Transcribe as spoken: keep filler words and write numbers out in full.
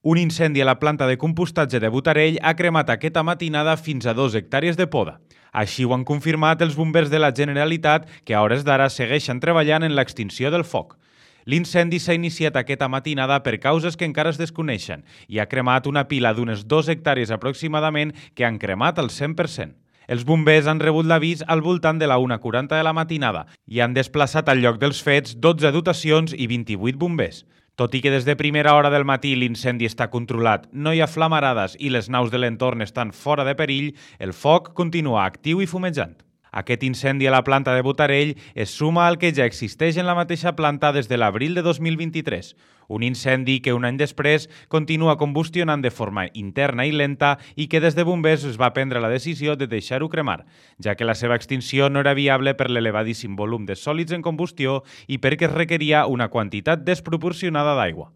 Un incendi a la planta de compostatge de Botarell ha cremat aquesta matinada fins a dos hectàrees de poda. Així ho han confirmat els bombers de la Generalitat, que a hores d'ara segueixen treballant en l'extinció del foc. L'incendi s'ha iniciat aquesta matinada per causes que encara es desconeixen i ha cremat una pila d'unes dos hectàrees aproximadament que han cremat al cent per cent. Els bombers han rebut l'avís al voltant de la una quaranta de la matinada i han desplaçat al lloc dels fets dotze dotacions i vint-i-vuit bombers. Tot i que des de primera hora del matí l'incendi està controlat, no hi ha flamarades i les naus de l'entorn estan fora de perill, el foc continua actiu i fumejant. Aquest incendi a la planta de Botarell es suma al que ja existeix en la mateixa planta des de l'abril de dos mil vint-i-tres. Un incendi que un any després continua combustionant de forma interna i lenta i que des de bombers es va prendre la decisió de deixar-ho cremar, ja que la seva extinció no era viable per l'elevadíssim volum de sòlids en combustió i perquè es requeria una quantitat desproporcionada d'aigua.